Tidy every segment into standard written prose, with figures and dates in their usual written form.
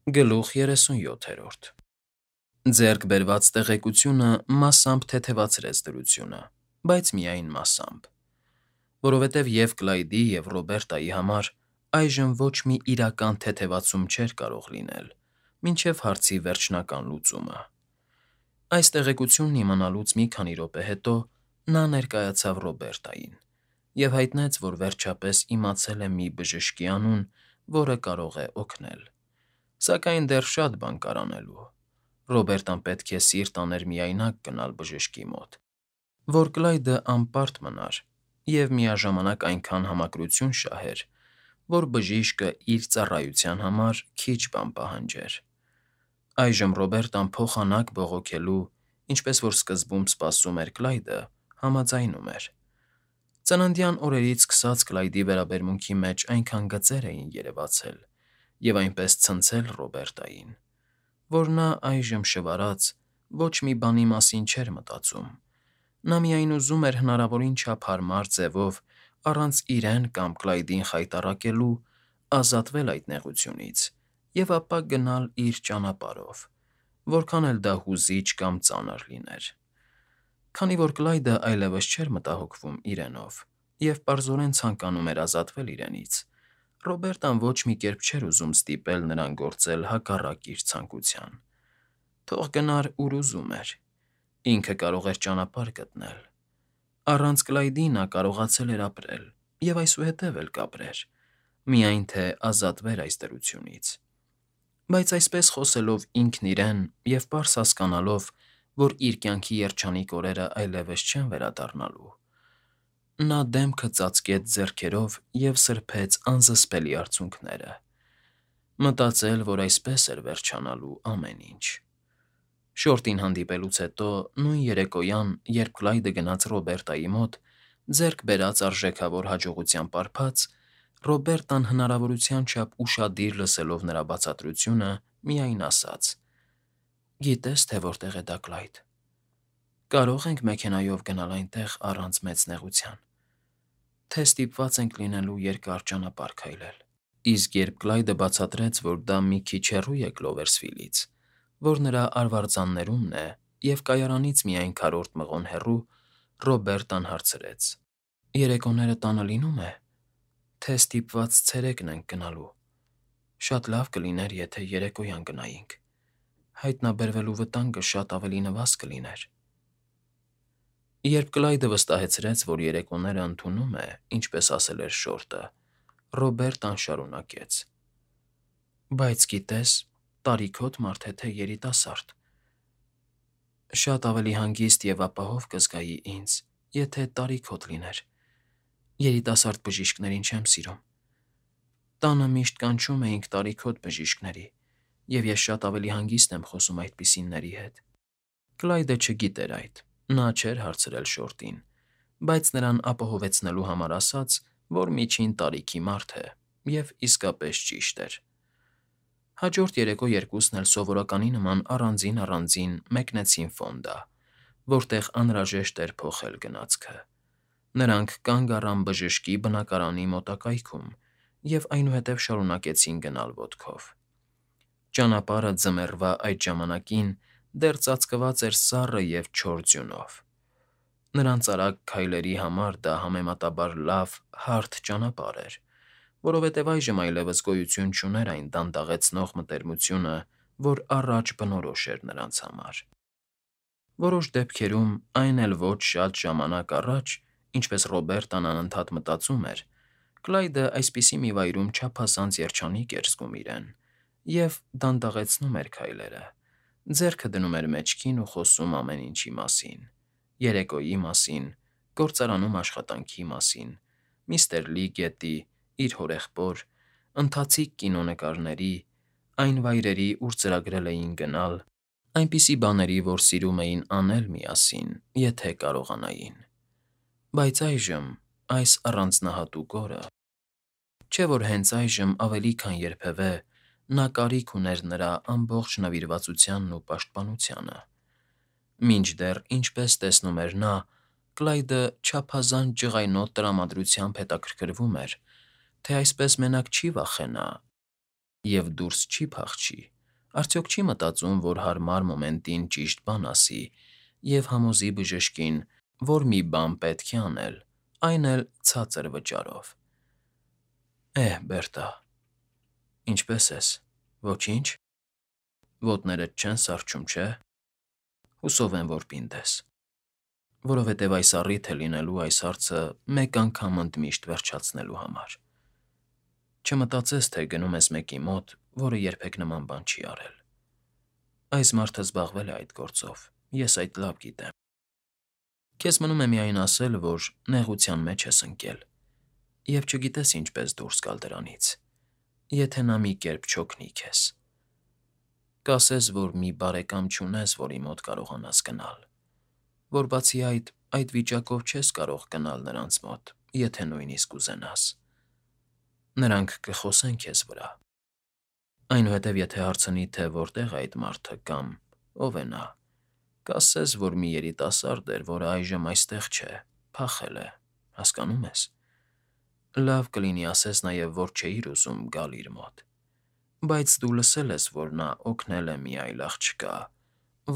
Գլուխ 37 Ձեռք բերված տեղեկությունը մասամբ թեթևացրեց դրությունը, բայց միայն մասամբ, որովհետև և Կլայդի, և Ռոբերտայի համար այժմ ոչ մի իրական թեթևացում չէր կարող լինել, մինչև հարցի վերջնական լուծումը։ Այս տեղեկությունն իմանալուց մի քանի րոպե հետո նա ներկայացավ Ռոբերտային և հայտնեց, որ վերջապես իմացել է մի բժշկի անուն, որը կարող է օգնել։ Սակայն դեռ շատ բան կար անելու։ Ռոբերտան պետք է սիրտ աներ միայնակ գնալ բժշկի մոտ, որ Կլայդը անպարտ մնար և միաժամանակ այնքան համակրություն շահեր, որ բժիշկը իր ծառայության համար քիչ բան պահանջեր։ Այժմ Ռոբերտան փոխանակ բողոքելու, ինչպես որ սկզբում սպասում էր Կլայդը, համաձայնում էր։ Ծննդյան օրերից սկսած Կլայդի վերաբերմունքի մեջ այնքան գծեր էին երևացել և այնպես ցնցել Ռոբերտային, որ նա այժմ շվարած ոչ մի բանի մասին չէր մտածում։ Նա միայն ուզում էր հնարավորին չափ հարմար ձևով, առանց իրեն կամ Կլայդին խայտառակելու, ազատվել այդ նեղությունից և ապա գնալ իր ճանապարհով, որքան էլ դա հուզիչ կամ ծանր լիներ։ Քանի որ Կլայդը այլևս չէր մտահոգվում իրենով և պարզորեն ցանկանում էր ազատվել իրենից, Ռոբերտան ոչ մի կերպ չէր ուզում ստիպել նրան գործել հակառակ իր ցանկության։ Թող գնար, ուր ուզում էր։ Ինքը կարող էր ճանապարհ գտնել։ Առանց Կլայդի նա կարողացել էր ապրել և այսուհետև էլ կապրեր, միայն թե ազատվեր այս դրությունից։ Բայց այսպես խոսելով ինքն իրեն և պարզ հասկանալով, որ իր կյանքի երջանիկ օրերը այլևս չեն վերադառնալու, նա դեմքը ծածկեց ձեռքերով և սրբեց անզսպելի արցունքները։ Մտածել, որ այսպես էր վերջանալու ամեն ինչ։ Շորտին հանդիպելուց հետո, նույն երեկոյան, երբ Կլայդը գնաց Ռոբերտայի մոտ, ձեռք բերած արժեքավոր հաջողության պարփած, Ռոբերտան հնարավորության չափ ուշադիր լսելով նրա բացատրությունը, միայն ասաց. «Գիտե՞ս, թե որտեղ է դա, Կլայդ։ Կարո՞ղ ենք մեքենայով գնալ այնտեղ առանց մեծ նեղության, թե ստիպված ենք լինելու երկար ճանապարհ քայլել»։ Իսկ երբ Կլայդը բացատրեց, որ դա մի քիչ հեռու է Կլովերսվիլից, որ նրա արվարձաններումն է և կայարանից միայն քառորդ մղոն հեռու, Ռոբերտան հարցրեց. «Երեկոները տանը լինո՞ւմ է, թե ստիպված ցերեկն ենք գնալու։ Շատ լավ կլիներ, եթե երեկոյան գնայինք, հայտնաբերվելու վտանգը շատ ավելի նվազ կլիներ»։ Երբ Կլայդը վստահեցրեց, որ երեկոները ընդունում է, ինչպես ասել էր շորտը, Ռոբերտան շարունակեց. «Բայց գիտես, տարիքոտ մարդ է, թե երիտասարդ։ Շատ ավելի հանգիստ և ապահով կզգայի ինձ, եթե տարիքոտ լիներ։ Երիտասարդ բժիշկներին չեմ սիրում։ Տանը միշտ կանչում էինք տարիքոտ բժիշկների, և ես շատ ավելի հանգիստ եմ խոսում այդպիսիների հետ»։ Կլայդը չգիտեր այդ, նա չէր հարցրել շորտին, բայց նրան ապահովեցնելու համար ասաց, որ միջին տարիքի մարդ է, և իսկապես ճիշտ էր։ Հաջորդ երեկո երկուսն էլ սովորականի նման առանձին մեկնեցին Ֆոնդա, որտեղ անհրաժեշտ էր փոխել գնացքը։ Նրանք կանգ առան բժշկի բնակարանի մոտակայքում և այնուհետև շարունակեցին գնալ ոտքով։ Ճանապարհը ձմեռվա այդ ժամանակին դեռ ծածկված էր սառը և չոր ձյունով։ Նրանց արագ քայլերի համար դա համեմատաբար լավ, հարթ ճանապարհ էր, որովհետև այժմ այլևս գոյություն չուներ այն դանդաղեցնող մտերմությունը, որ առաջ բնորոշ էր նրանց համար։ Որոշ դեպքերում, այն էլ ոչ շատ ժամանակ առաջ, ինչպես Ռոբերտան անընդհատ մտածում էր, Կլայդը այսպիսի մի վայրում չափազանց երջանիկ էր զգում իրեն և դանդաղեցնում էր քայլերը, ձեռքը դնում էր մեջքին ու խոսում ամեն ինչի մասին՝ երեկոյի մասին, գործարանում աշխատանքի մասին, միստր Լի գետի, իր հորեղբոր, ընթացիկ կինոնկարների, այն վայրերի, ուր ծրագրել էին գնալ, այնպիսի բաների, որ սիրում էին անել միասին, եթե կարողանային։ Բայց այժմ, այս առանձնահատուկ օրը… Չէ՞ որ հենց այժմ ավելի քան երբևէ նա կարիք ուներ նրա ամբողջ նվիրվածությանն ու պաշտպանությանը։ Մինչդեռ, ինչպես տեսնում էր նա, Կլայդը չափազանց ջղայնոտ տրամադրությամբ հետաքրքրվում էր, թե այսպես մենակ չի վախենա, և դուրս չի փախչի, արդյոք չի մտածում, որ հարմար մոմենտին ճիշտ բան ասի և համոզի բժշկին, որ մի բան պետք է անել, այն էլ ցածր վճարով։ Բերտա, ինչպե՞ս ես, ոչի՞նչ, ոտներդ չեն սառչում, չէ՞։ Հուսով եմ, որ պինդ ես, որովհետև այս առիթ է լինելու այս հարցը մեկ անգամ ընդմիշտ վերջացնելու համար։ Չմտածես, թե գնում ես մեկի մոտ, որը երբեք նման բան չի արել։ Այս մարդը զբաղվել է այդ գործով, ես այդ լավ գիտեմ։ Քեզ մնում է միայն ասել, որ նեղության մեջ ես ընկել, և չգիտես ինչպես դուրս գալ դրանից, եթե նա մի կերպ չօգնի քեզ։ Կասես, որ մի բարեկամ չունես, որի մոտ կարողանաս գնալ, որ բացի այդ վիճակով չես կարող գնալ նրանց մոտ, եթե նույնիսկ ուզենաս։ Նրանք կխոսեն քեզ վրա։ Այնուհետև եթե հարցնի, թե որտեղ է այդ մարդը կամ ով է նա, կասես, որ մի երիտասարդ էր, որը այժմ այստեղ չէ, փախել է, հասկանո՞ւմ ես։ Լավ կլինի ասես նաև, որ չէիր ուզում գալ իր մոտ, բայց դու լսել ես, որ նա օգնել է մի այլ աղջկա,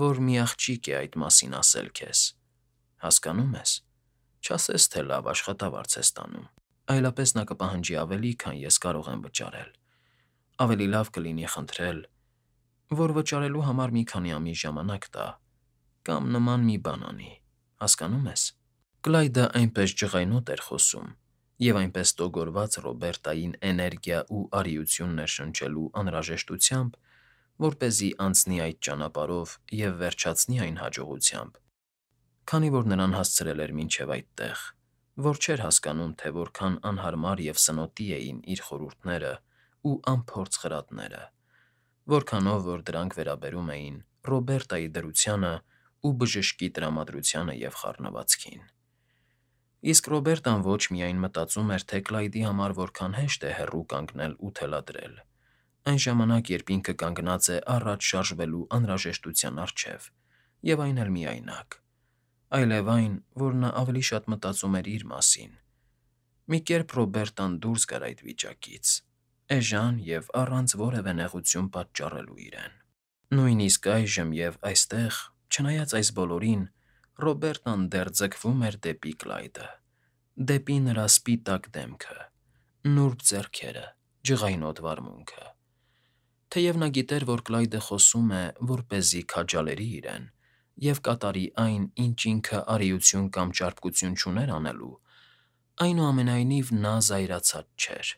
որ մի աղջիկ է այդ մասին ասել քեզ, հասկանո՞ւմ ես։ Չասես, թե լավ աշխատավարձ ես ստանում, այլապես նա կպահանջի ավելի, քան ես կարող եմ վճարել։ Ավելի լավ կլինի խնդրել, որ վճարելու համար մի քանի ամիս ժամանակ տա, կամ նման մի բան անի, հասկանո՞ւմ ես։ Կլայդը այնպես ջղայնոտ էր խոսում և այնպես տոգորված Ռոբերտային էներգիա ու արիություն ներշնչելու անհրաժեշտությամբ, որպեսզի անցնի այդ ճանապարհով և վերջացնի այն հաջողությամբ, քանի որ նրան հասցրել էր մինչև այդտեղ, որ չէր հասկանում, թե որքան անհարմար և սնոտի էին իր խորհուրդները ու անփորձ խրատները, որքանով որ դրանք վերաբերում էին Ռոբերտայի դրությանը ու բժշկի տրամադրությանը և խառնվածքին։ Իսկ Ռոբերտան ոչ միայն մտածում էր, թե Կլայդի համար որքան հեշտ է հեռու կանգնել ու թելադրել, այն ժամանակ, երբ ինքը կանգնած է առաջ շարժվելու անհրաժեշտության առջև, և այն էլ միայնակ, այլև այն, որ նա ավելի շատ մտածում էր իր մասին։ Մի կերպ Ռոբերտան դուրս գար այդ վիճակից, էժան և առանց որևէ նեղություն պատճառելու իրեն։ Նույնիսկ այժմ և այստեղ, չնայած այս բոլորին, Ռոբերտան դեռ ձգվում էր դեպի Կլայդը, դեպի նրա սպիտակ դեմքը, նուրբ ձեռքերը, ջղայնոտ վարմունքը։ Թեև նա գիտեր, որ Կլայդը խոսում է, որպեսզի քաջալերի իրեն և կատարի այն, ինչ ինքը արիություն կամ ճարպկություն չուներ անելու, այնուամենայնիվ նա զայրացած չէր։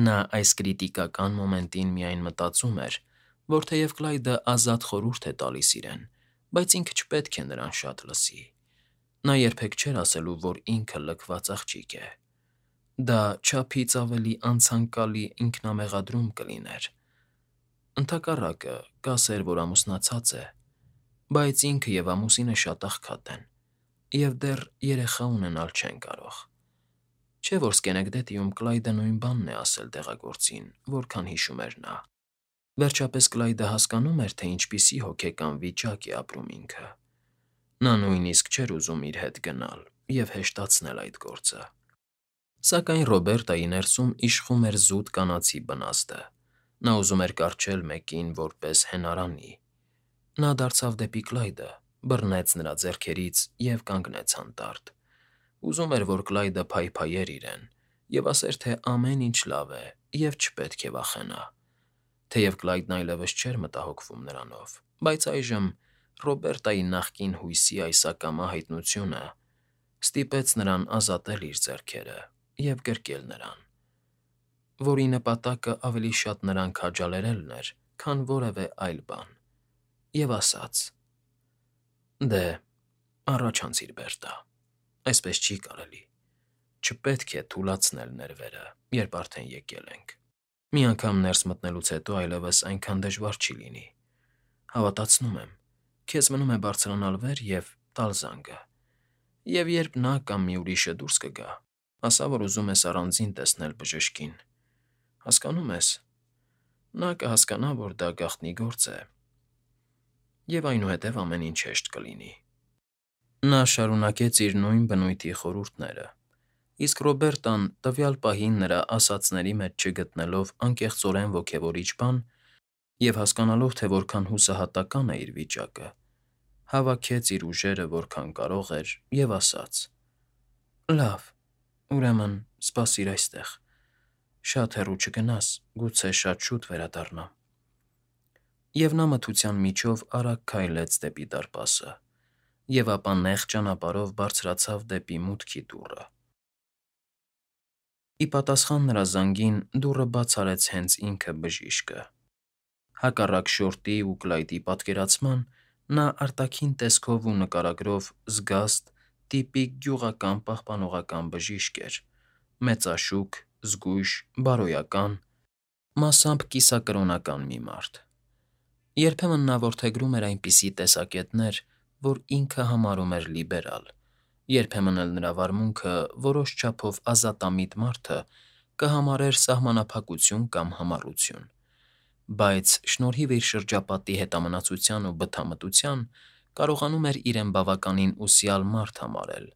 Նա այս կրիտիկական մոմենտին միայն մտածում էր, որ թեև Կլայդը ազատ խորհուրդ է տալիս իրեն, բայց ինքը չպետք է նրան շատ լսի։ Նա երբեք չէր ասելու, որ ինքը լքված աղջիկ է։ Դա չափից ավելի անցանկալի ինքնամեղադրում կլիներ։ Ընդհակառակը, կասեր, որ ամուսնացած է, բայց ինքը և ամուսինը շատ աղքատ են, և դեռ երեխա ունենալ չեն կարող։ Չէ՞ որ Սկենեգդեթիում Կլայդը նույն բանն է ասել դեղագործին, որքան հիշում էր նա։ Վերջապես Կլայդը հասկանում էր, թե ինչպիսի հոգեկան վիճակ է ապրում ինքը։ Նա նույնիսկ չէր ուզում իր հետ գնալ և հեշտացնել այդ գործը։ Սակայն Ռոբերտայի ներսում իշխում էր զուտ կանացի բնազդը։ Նա ուզում էր կառչել մեկին որպես հենարանի։ Նա դարձավ դեպի Կլայդը, բռնեց նրա ձեռքերից և կանգնեց հանդարտ։ Ուզում էր, որ Կլայդը փայփայեր իրեն և ասեր, թե ամեն ինչ լավ է և չպետք է վախենա։ Թեև Կլայդն այլևս չէր մտահոգվում նրանով, բայց այժմ Ռոբերտայի նախկին հույսի այս ակամա հայտնությունը ստիպեց նրան ազատել իր ձեռքերը և գրկել նրան, որի նպատակը ավելի շատ նրան քաջալերելն էր, քան որևէ այլ բան, և ասաց. «Դե, առաջ անցիր, Բերտա, այսպես չի կարելի։ Չպետք է թուլացնել ներվերը, երբ արդեն եկել ենք։ Մի անգամ ներս մտնելուց հետո այլևս այնքան դժվար չի լինի։ Հավատացնում եմ, քեզ մնում է բարձրանալ վեր և տալ զանգը, և երբ նա կամ մի ուրիշը դուրս կգա, ասա, որ ուզում ես առանձին տեսնել բժշկին։ Հասկանո՞ւմ ես։ Նա կհասկանա, որ դա գաղտնի գործ է, և այնուհետև ամեն ինչ հեշտ կլինի»։ Նա շարունակեց իր նույն բնույթի խորհուրդները, Իսկ Ռոբերտան, տվյալ պահին նրա ասածների մեջ չգտնելով անկեղծորեն ոգևորիչ բան և հասկանալով, թե որքան հուսահատական է իր վիճակը, հավաքեց իր ուժերը որքան կարող էր և ասաց. «Լավ, ուրեմն սպասիր այստեղ, շատ հեռու չգնաս, գուցե շատ շուտ վերադառնամ»։ Եվ նա մթության միջով արագ քայլեց դեպի դարպասը, և ապա նեղ ճանապարհով բարձրացավ դեպի մուտքի դուռը։ Ի պատասխան նրա զանգին դուռը բաց արեց հենց ինքը բժիշկը։ Հակառակ Շորտի ու Կլայդի պատկերացման, նա արտաքին տեսքով ու նկարագրով զգաստ, տիպիկ գյուղական պահպանողական բժիշկ էր, մեծաշուք, զգույշ, բարոյական, մասամբ կիսակրոնական մի մարդ։ Երբեմն նա որդեգրում էր այնպիսի տեսակետներ, որ ինքը համարում էր լիբերալ, երբեմն էլ նրա վարմունքը որոշ չափով ազատամիտ մարդը կհամարեր սահմանափակություն կամ համառություն, բայց շնորհիվ իր շրջապատի հետամնացության ու բթամտության կարողանում էր իրեն բավականին ուսյալ մարդ համարել,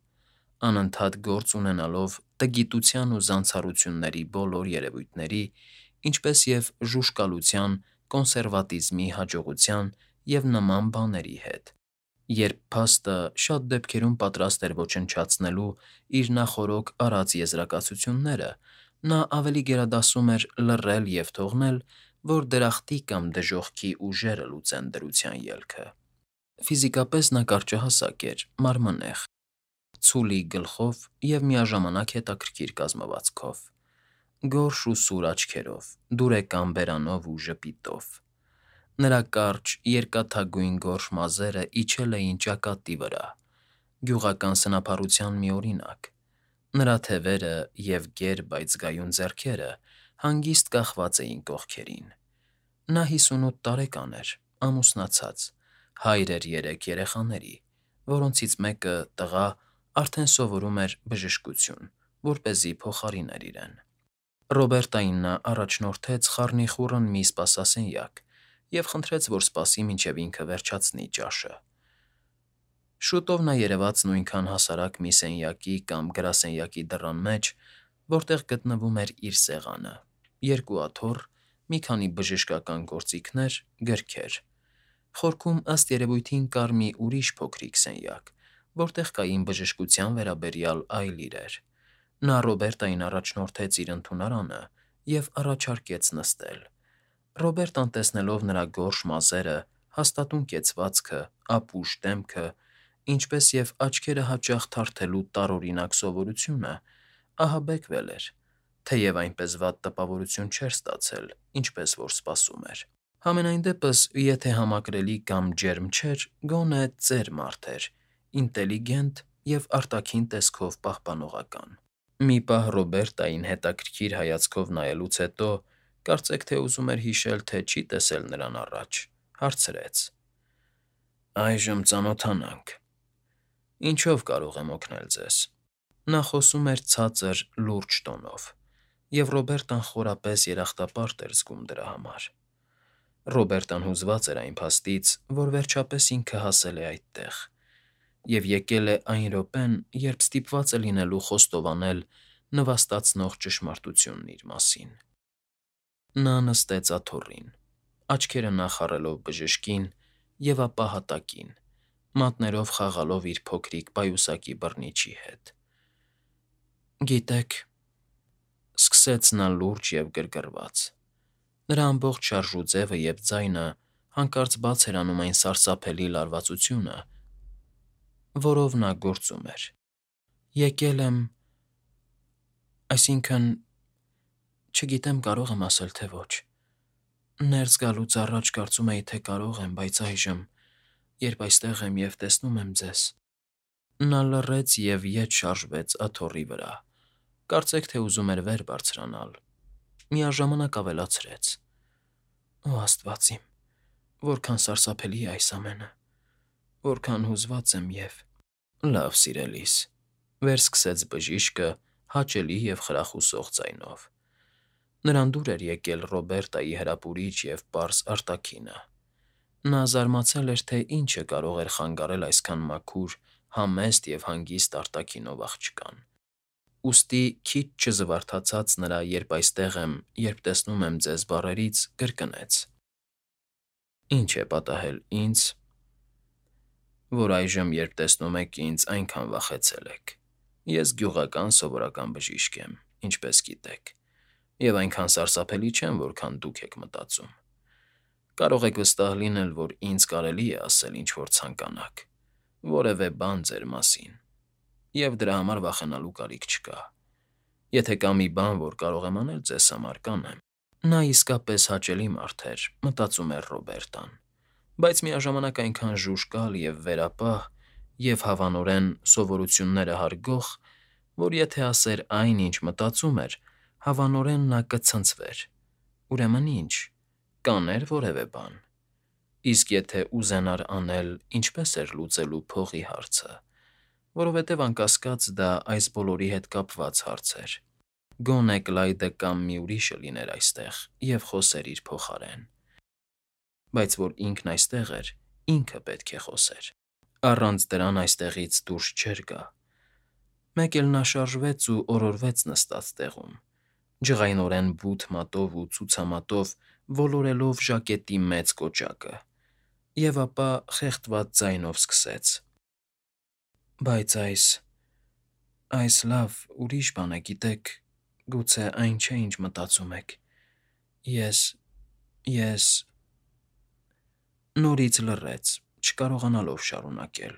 անընդհատ գործ ունենալով տգիտության ու զանցառությունների բոլոր երևույթների, ինչպես և ժուժկալության, կոնսերվատիզմի, հաջողության և նման բաների հետ, երբ փաստը շատ դեպքերում պատրաստ էր ոչնչացնելու իր նախօրոք արած եզրակացությունները, նա ավելի գերադասում էր լռել և թողնել, որ դրախտի կամ դժոխքի ուժերը լուծեն դրության ելքը։ Ֆիզիկապես նա կարճահասակ էր, մարմնեղ, ցուլի գլխով և միաժամանակ հետաքրքիր կազմվածքով, գորշ ու սուր աչքերով, դուրեկան բերանով ու ժպիտով։ Նրա կարճ, երկաթագույն գորշ մազերը իջել էին ճակատի վրա, գյուղական սնափառության մի օրինակ, նրա թևերը և գեր, բայց զգայուն ձեռքերը հանգիստ կախված էին կողքերին։ Նա 58 տարեկան էր, ամուսնացած, հայր էր 3 երեխաների, որոնցից մեկը՝ տղա, արդեն սովորում էր բժշկություն, որպեսզի փոխարիներ իրեն։ Ռոբերտային նա առաջնորդեց խառնիխուռն մի սպասասենյակ և խնդրեց, որ սպասի, մինչև ինքը վերջացնի ճաշը։ Շուտով նա երևաց նույնքան հասարակ մի սենյակի կամ գրասենյակի դռան մեջ, որտեղ գտնվում էր իր սեղանը, 2 աթոռ, մի քանի բժշկական գործիքներ, գրքեր։ Խորքում, ըստ երևույթին, կար մի ուրիշ փոքրիկ սենյակ, որտեղ կային բժշկության վերաբերյալ այլ իրեր։ Նա Ռոբերտային առաջնորդեց իր ընդունարանը և առաջարկեց նստել։ Ռոբերտան, տեսնելով նրա գորշ մազերը, հաստատուն կեցվածքը, ապուշ դեմքը, ինչպես և աչքերը հաճախ թարթելու տարօրինակ սովորությունը, ահաբեկվել էր, թեև այնպես վատ տպավորություն չէր ստացել, ինչպես որ սպասում էր։ Համենայն դեպս, եթե համակրելի կամ ջերմ չէր, գոնե ծեր մարդ էր, ինտելիգենտ և արտաքին տեսքով պահպանողական։ Մի պահ Ռոբերտային հետաքրքիր հայացքով նայելուց հետո, կարծեք թե ուզում էր հիշել, թե չի տեսել նրան առաջ, հարցրեց. «Այժմ ծանոթանանք։ Ինչո՞վ կարող եմ օգնել ձեզ»։ Նա խոսում էր ցածր, լուրջ տոնով, և Ռոբերտան խորապես երախտապարտ էր զգում դրա համար։ Ռոբերտան հուզված էր այն փաստից, որ վերջապես ինքը հասել է այդտեղ և եկել է այն րոպեն, երբ ստիպված է լինելու խոստովանել նվաստացնող ճշմարտությունն իր մասին։ Նա նստեց աթոռին, աչքերը նախառելով բժշկին և ապա հատակին, մատներով խաղալով իր փոքրիկ պայուսակի բռնիչի հետ։ «Գիտեք,֊ սկսեց նա լուրջ և գրգռված. նրա ամբողջ շարժուձևը և ձայնը հանկարծ բաց էր անում այն սարսափելի լարվածությունը, որով նա գործում էր,֊ եկել եմ, այսինքն… չգիտեմ կարող եմ ասել, թե ոչ… Ներս գալուց առաջ կարծում էի, թե կարող եմ, բայց այժմ, երբ այստեղ եմ և տեսնում եմ ձեզ…» Նա լռեց և ետ շարժվեց աթոռի վրա, կարծեք թե ուզում էր վեր բարձրանալ, միաժամանակ ավելացրեց. «Օ աստված իմ, որքան սարսափելի է այս ամենը… որքան հուզված եմ և…»։ «Լավ, սիրելիս,֊ վերսկսեց բժիշկը հաճելի և խրախուսող ձայնով։ Նրան դուր էր եկել Ռոբերտայի հրապուրիչ և պարզ արտաքինը։ Նա զարմացել էր, թե ինչը կարող էր խանգարել այսքան մաքուր, համեստ և հանգիստ արտաքինով աղջկան։ Ուստի քիչ չզվարթացած նրա «երբ այստեղ եմ, երբ տեսնում եմ ձեզ» բառերից կրկնեց. «Ինչ է պատահել ինձ, որ այժմ, երբ տեսնում եք ինձ, այնքան վախեցել եք։ Ես գյուղական սովորական բժիշկ եմ, ինչպես գիտեք, և այնքան սարսափելի չեմ, որքան դուք եք մտածում։ Կարող եք վստահ լինել, որ ինձ կարելի է ասել ինչ-որ ցանկանաք, որևէ բան ձեր մասին, և դրա համար վախենալու կարիք չկա։ Եթե կա մի բան, որ կարող եմ անել ձեզ համար, կանեմ»։ Նա իսկապես հաճելի մարդ էր, մտածում էր Ռոբերտան, բայց միաժամանակ այնքան ժուժկալ և վերապահ և հավանորեն սովորությունները հարգող, որ եթե ասեր այն, ինչ մտածում էր, հավանորեն նա կցնցվեր։ Ուրեմն ի՞նչ, կաներ որևէ բան։ Իսկ եթե ուզենար անել, ինչպե՞ս էր լուծելու փողի հարցը, որովհետև անկասկած դա այս բոլորի հետ կապված հարց էր։ Գոնե Կլայդը կամ մի ուրիշը լիներ այստեղ և խոսեր իր փոխարեն։ Բայց որ ինքն այստեղ էր, ինքը պետք է խոսեր։ Առանց դրան այստեղից դուրս չէր գա։ Մեկ էլ նա շարժվեց ու օրորվեց նստած տեղում, ջղայնորեն բութ մատով ու ցուցամատով ոլորելով ժակետի մեծ կոճակը, և ապա խեղդված ձայնով սկսեց. «Բայց այս լավ, ուրիշ բան է, գիտեք, գուցե այն չէ, ինչ մտածում եք։ Ես… Նորից լռեց, չկարողանալով շարունակել։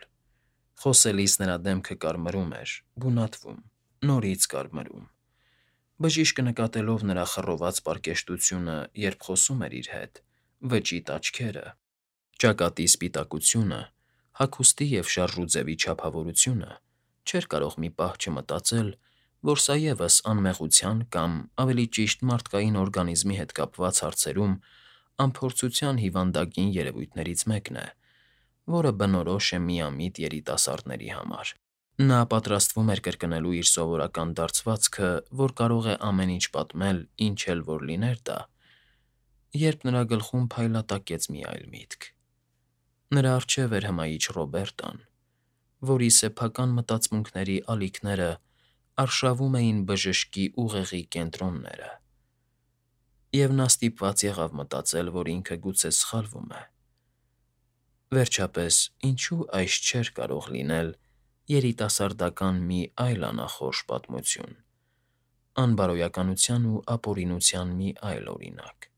Խոսելիս նրա դեմքը կարմրում էր, գունատվում, նորից կարմրում։ Բժիշկը, նկատելով նրա խռոված պարկեշտությունը, երբ խոսում էր իր հետ, վճիտ աչքերը, ճակատի սպիտակությունը, հագուստի և շարժուձևի չափավորությունը, չէր կարող մի պահ չմտածել, որ սա ևս անմեղության կամ, ավելի ճիշտ, մարդկային օրգանիզմի հետ կապված հարցերում անփորձության հիվանդագին երևույթներից մեկն է, որը բնորոշ է միամիտ երիտասարդների համար։ Նա պատրաստվում էր կրկնելու իր սովորական դարձվածքը, որ կարող է ամեն ինչ պատմել, ինչ էլ որ լիներ դա, երբ նրա գլխում փայլատակեց մի այլ միտք. նրա առջև էր հմայիչ Ռոբերտան, որի սեփական մտածմունքների ալիքները արշավում էին բժշկի ուղեղի կենտրոնները, և նա ստիպված եղավ մտածել, որ ինքը գուցե սխալվում է։ Վերջապես, ինչո՞ւ այս չէր կարող լինել երիտասարդական մի այլ անախորժ պատմություն, անբարոյականության ու ապօրինության մի այլ օրինակ։